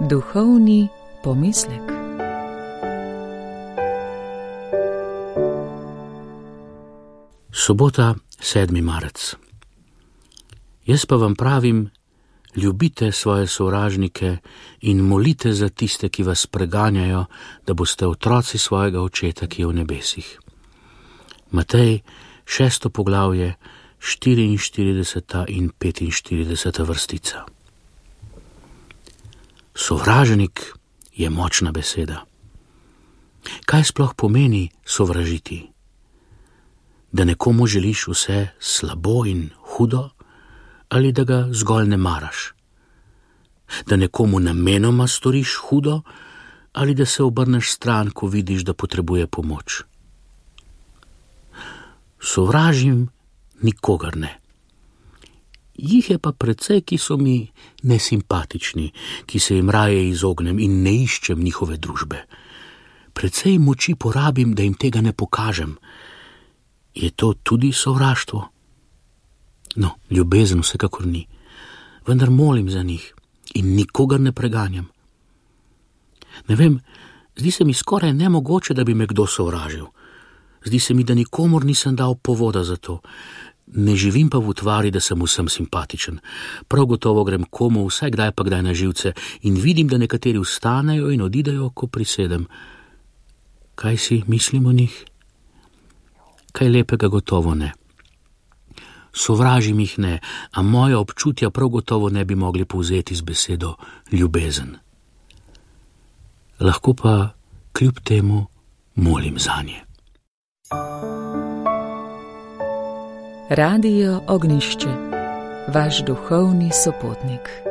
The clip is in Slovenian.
Duhovni pomislek. Sobota, 7. marec. Jaz pa vam pravim, ljubite svoje sovražnike in molite za tiste, ki vas preganjajo, da boste otroci svojega očeta, ki je v nebesih. Matej, 6. poglavje, 44. in 45. vrstica. Sovražnik je močna beseda. Kaj sploh pomeni sovražiti? Da nekomu želiš vse slabo in hudo, ali da ga zgolj ne maraš? Da nekomu namenoma storiš hudo, ali da se obrneš stran, ko vidiš, da potrebuje pomoč? Sovražim nikogar ne. Jih je pa precej, ki so mi nesimpatični, ki se jim raje izognem in ne iščem njihove družbe. Precej moči porabim, da jim tega ne pokažem. Je to tudi sovraštvo? No, ljubezen vsekakor ni, vendar molim za njih in nikogar ne preganjam. Ne vem, zdi se mi skoraj nemogoče, da bi me kdo sovražil. Zdi se mi, da nikomur nisem dal povoda za to. Ne živim pa v utvari, da sem vsem simpatičen. Prav gotovo grem komu vsaj kdaj pa kdaj na živce in vidim, da nekateri vstanejo in odidejo, ko prisedem. Kaj si mislim o njih? Kaj lepega gotovo ne. Sovražim jih ne, a moja občutja prav gotovo ne bi mogli povzeti z besedo ljubezen. Lahko pa kljub temu molim zanje. Radio Ognjišče, vaš duhovni sopotnik.